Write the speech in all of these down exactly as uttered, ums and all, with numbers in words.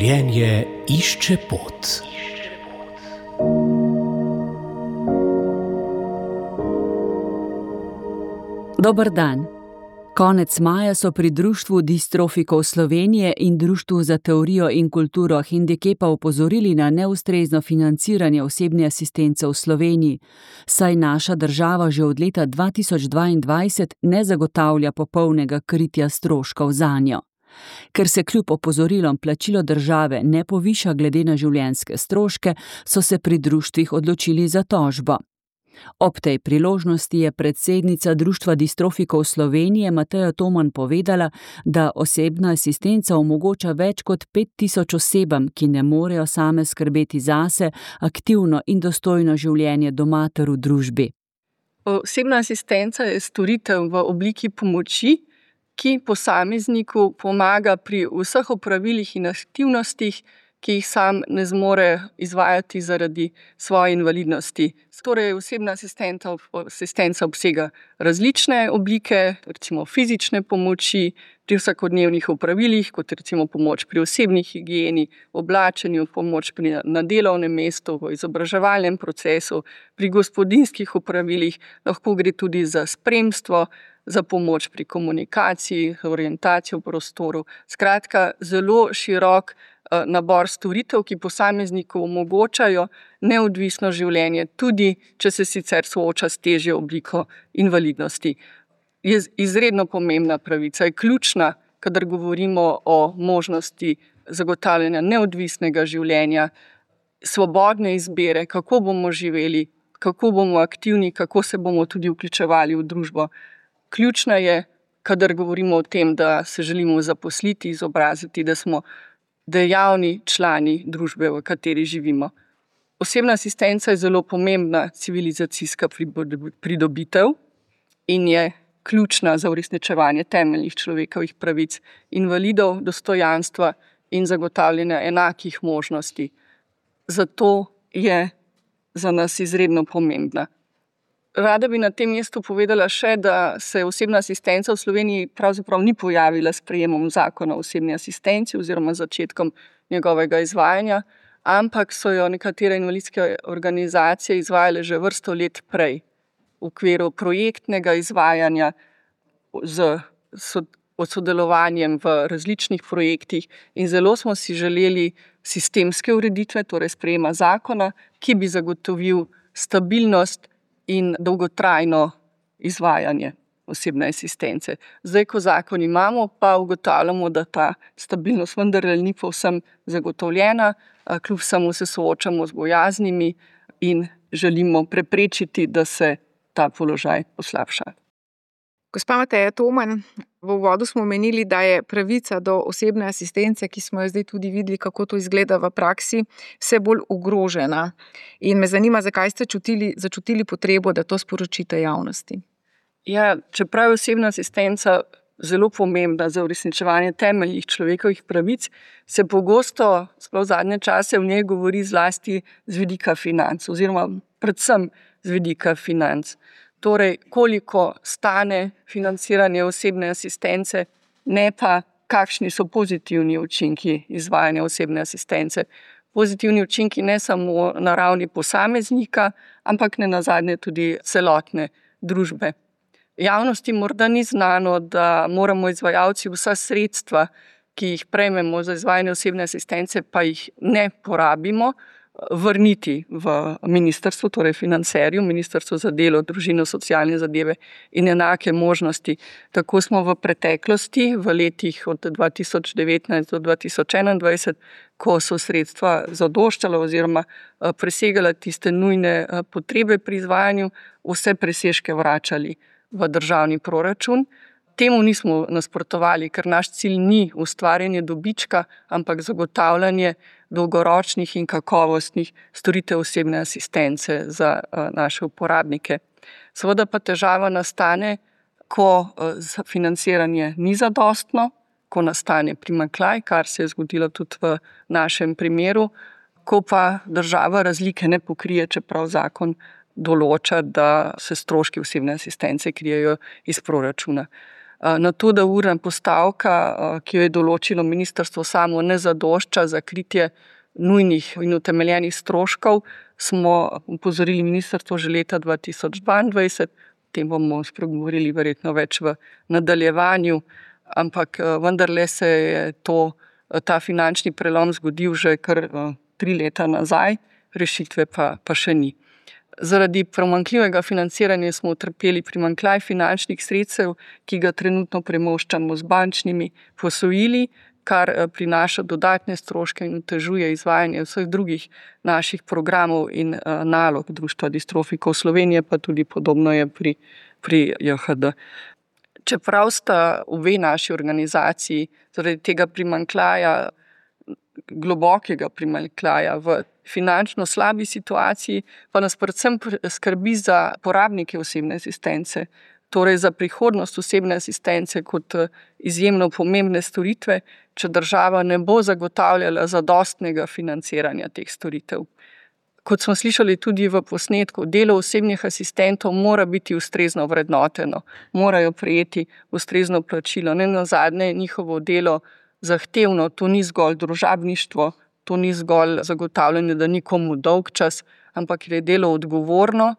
Življenje išče pot. Dober dan. Konec maja so pri Društvu distrofikov Slovenije in Društvu za teorijo in kulturo hendikepa opozorili na neustrezno financiranje osebne asistence v Sloveniji, saj naša država že od leta dva tisoč dvaindvajset ne zagotavlja popolnega kritja stroškov zanjo. Ker se kljub opozorilom plačilo države ne poviša glede na življenjske stroške, so se pri društvih odločili za tožbo. Ob tej priložnosti je predsednica Društva distrofikov Slovenije Mateja Toman povedala, da osebna asistenca omogoča več kot pet tisoč osebam, ki ne morejo same skrbeti zase, aktivno in dostojno življenje doma ter v družbi. Osebna asistenca je storitev v obliki pomoči, ki posamezniku pomaga pri vseh opravilih in aktivnostih, ki jih sam ne zmore izvajati zaradi svoje invalidnosti. Torej, osebna asistenca, asistenca obsega različne oblike, recimo fizične pomoči pri vsakodnevnih opravilih, kot recimo pomoč pri osebni higieni, oblačenju, pomoč pri, na delovnem mestu, v izobraževalnem procesu, pri gospodinjskih opravilih, lahko gre tudi za spremstvo, za pomoč pri komunikaciji, orientacijo v prostoru. Skratka, zelo širok nabor storitev, ki posamezniku omogočajo neodvisno življenje, tudi če se sicer sooča s težjo obliko invalidnosti. Je izredno pomembna pravica, je ključna, kadar govorimo o možnosti zagotavljanja neodvisnega življenja, svobodne izbire, kako bomo živeli, kako bomo aktivni, kako se bomo tudi vključevali v družbo. Ključna je, kadar govorimo o tem, da se želimo zaposliti, izobraziti, da smo dejavni člani družbe, v kateri živimo. Osebna asistenca je zelo pomembna civilizacijska pridobitev in je ključna za uresničevanje temeljnih človekovih pravic invalidov, dostojanstva in zagotavljanja enakih možnosti. Zato je za nas izredno pomembna. Rada bi na tem mestu povedala še, da se osebna asistenca v Sloveniji pravzaprav ni pojavila s sprejemom zakona o osebni asistenci oziroma začetkom njegovega izvajanja, ampak so jo nekatere invalidske organizacije izvajale že vrsto let prej v okviru projektnega izvajanja z sodelovanjem v različnih projektih in zelo smo si želeli sistemske ureditve, torej sprejema zakona, ki bi zagotovil stabilnost in dolgotrajno izvajanje osebne asistence. Zdaj, ko zakon imamo, pa ugotavljamo, da ta stabilnost vendarle ni povsem zagotovljena, kljub vsemu se soočamo z bojaznimi in želimo preprečiti, da se ta položaj poslabša. Gospa Mateja Toman, v uvodu smo omenili, da je pravica do osebne asistence, ki smo jo zdaj tudi videli, kako to izgleda v praksi, vse bolj ogrožena. In me zanima, zakaj ste čutili, začutili potrebo, da to sporočite javnosti. Ja, čeprav je osebna asistenca zelo pomembna za uresničevanje temeljnih človekovih pravic, se pogosto, sploh zadnje čase, v njej govori zlasti z vidika financ, oziroma predvsem z vidika financ. Torej, koliko stane financiranje osebne asistence, ne pa kakšni so pozitivni učinki izvajanja osebne asistence. Pozitivni učinki ne samo na ravni posameznika, ampak ne nazadnje tudi celotne družbe. Javnosti morda ni znano, da moramo izvajalci vsa sredstva, ki jih prejmemo za izvajanje osebne asistence, pa jih ne porabimo, vrniti v ministrstvo, torej financerju, Ministrstvo za delo, družino, socialne zadeve in enake možnosti. Tako smo v preteklosti, v letih od dva tisoč devetnajst do dva tisoč enaindvajset, ko so sredstva zadoščala oziroma presegala tiste nujne potrebe pri izvajanju, vse presežke vračali v državni proračun. Temu nismo nasprotovali, ker naš cilj ni ustvarjanje dobička, ampak zagotavljanje dolgoročnih in kakovostnih storitev osebne asistence za naše uporabnike. Seveda pa težava nastane, ko financiranje ni zadostno, ko nastane primanjkljaj, kar se je zgodilo tudi v našem primeru, ko pa država razlike ne pokrije, čeprav zakon določa, da se stroški osebne asistence krijejo iz proračuna. Na to, da urna postavka, ki jo je določilo ministrstvo samo, ne zadošča za kritje nujnih in utemeljenih stroškov, smo opozorili ministrstvo že leta dva tisoč dvaindvajset, o tem bomo spregovorili verjetno več v nadaljevanju, ampak vendarle se je to, ta finančni prelom zgodil že kar tri leta nazaj, rešitve pa, pa še ni. Zaradi pomanjkljivega financiranja smo utrpeli primanjkljaj finančnih sredstev, ki ga trenutno premoščamo z bančnimi posojili, kar prinaša dodatne stroške in otežuje izvajanje vseh drugih naših programov in nalog Društva distrofikov Slovenije, pa tudi podobno je pri, pri J H D. Čeprav sta obe naši organizaciji zaradi tega primanjkljaja, globokega primanjkljaja v finančno slabi situaciji, pa nas predvsem skrbi za porabnike osebne asistence, torej za prihodnost osebne asistence kot izjemno pomembne storitve, če država ne bo zagotavljala zadostnega financiranja teh storitev. Kot smo slišali tudi v posnetku, delo osebnih asistentov mora biti ustrezno vrednoteno, morajo prejeti ustrezno plačilo. Nenazadnje je njihovo delo zahtevno, to ni zgolj družabništvo, to ni zgolj zagotavljanje, da ni komu dolg čas, ampak je delo odgovorno.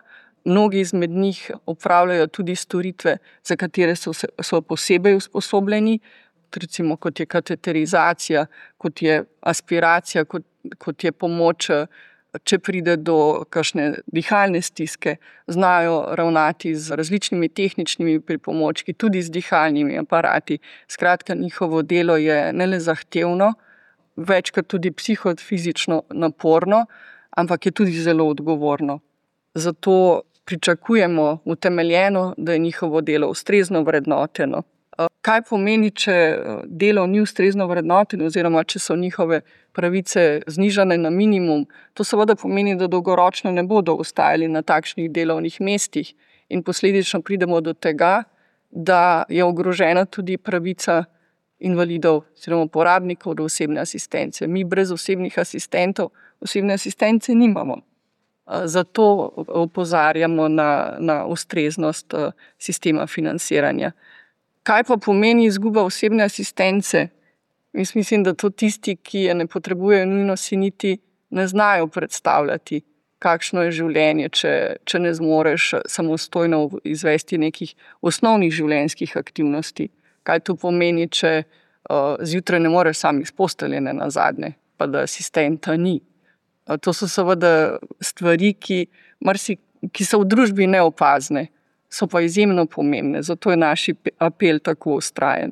Mnogi izmed njih opravljajo tudi storitve, za katere so, so posebej usposobljeni, recimo kot je kateterizacija, kot je aspiracija, kot, kot je pomoč, če pride do kakšne dihalne stiske, znajo ravnati z različnimi tehničnimi pripomočki, tudi z dihalnimi aparati. Skratka, njihovo delo je ne le zahtevno, večkrat tudi psihofizično naporno, ampak je tudi zelo odgovorno. Zato pričakujemo utemeljeno, da je njihovo delo ustrezno vrednoteno. Kaj pomeni, če delo ni ustrezno vrednoteno oziroma če so njihove pravice znižane na minimum? To seveda pomeni, da dolgoročno ne bodo ostajali na takšnih delovnih mestih in posledično pridemo do tega, da je ogrožena tudi pravica invalidov oziroma uporabnikov do osebne asistence. Mi brez osebnih asistentov osebne asistence nimamo. Zato opozarjamo na, na ustreznost sistema financiranja. Kaj pa pomeni izguba osebne asistence? Jaz mislim, da to tisti, ki je ne potrebujejo nujno, si niti ne znajo predstavljati, kakšno je življenje, če, če ne zmoreš samostojno izvesti nekih osnovnih življenjskih aktivnosti. Kaj to pomeni, če uh, zjutraj ne moreš sam iz postelje nazadnje, pa da asistenta ni. Uh, to so seveda stvari, ki, marsi, ki so v družbi neopazne, so pa izjemno pomembne, zato je naš apel tako vztrajen.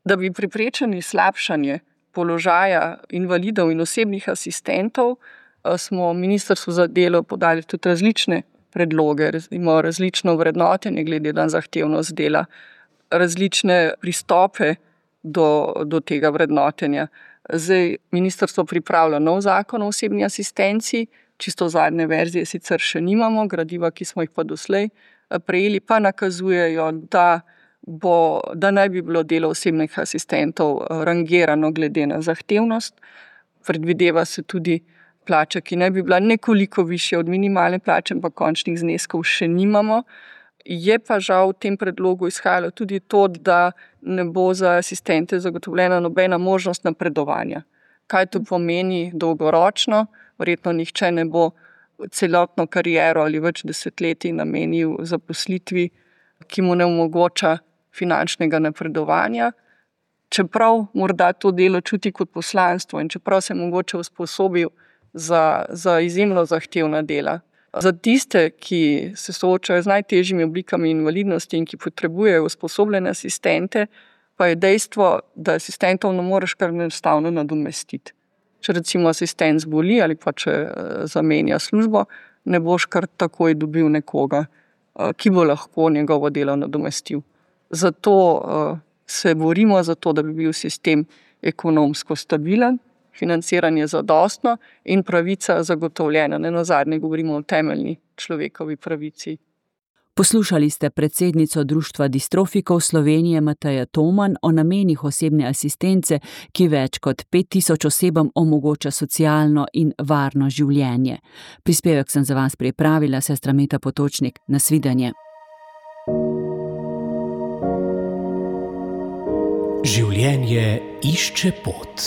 Da bi preprečili slabšanje položaja invalidov in osebnih asistentov, smo Ministrstvu za delo podali tudi različne predloge, imamo različno vrednotenje glede na zahtevnost dela, različne pristope do, do tega vrednotenja. Zdaj ministrstvo pripravlja nov zakon o osebni asistenci, čisto zadnje verzije sicer še nimamo, gradiva, ki smo jih pa doslej prejeli, pa nakazujejo, da, bo, da naj bi bilo delo osebnih asistentov rangirano glede na zahtevnost. Predvideva se tudi plača, ki naj bi bila nekoliko višja od minimalne plače, pa končnih zneskov še nimamo. Je pa žal v tem predlogu izhajalo tudi to, da ne bo za asistente zagotovljena nobena možnost napredovanja. Kaj to pomeni dolgoročno? Verjetno nihče ne bo celotno kariero ali več desetletij namenil zaposlitvi, ki mu ne omogoča finančnega napredovanja. Čeprav morda to delo čuti kot poslanstvo in čeprav se je mogoče usposobil za, za izjemno zahtevna dela. Za tiste, ki se soočajo z najtežjimi oblikami invalidnosti in ki potrebujejo usposobljene asistente, pa je dejstvo, da asistentov ne moreš kar enostavno nadomestiti. Če recimo asistent zboli ali pa če zamenja službo, ne boš kar takoj dobil nekoga, ki bo lahko njegovo delo nadomestil. Zato se borimo za to, da bi bil sistem ekonomsko stabilen, financiranje zadostno in pravica zagotovljena. Nenazadnje govorimo o temeljni človekovi pravici. Poslušali ste predsednico Društva distrofikov Slovenije Matejo Toman o namenih osebne asistence, ki več kot pet tisoč osebam omogoča socialno in varno življenje. Prispevek sem za vas pripravila sestra Meta Potočnik. Nasvidenje. Življenje išče pot.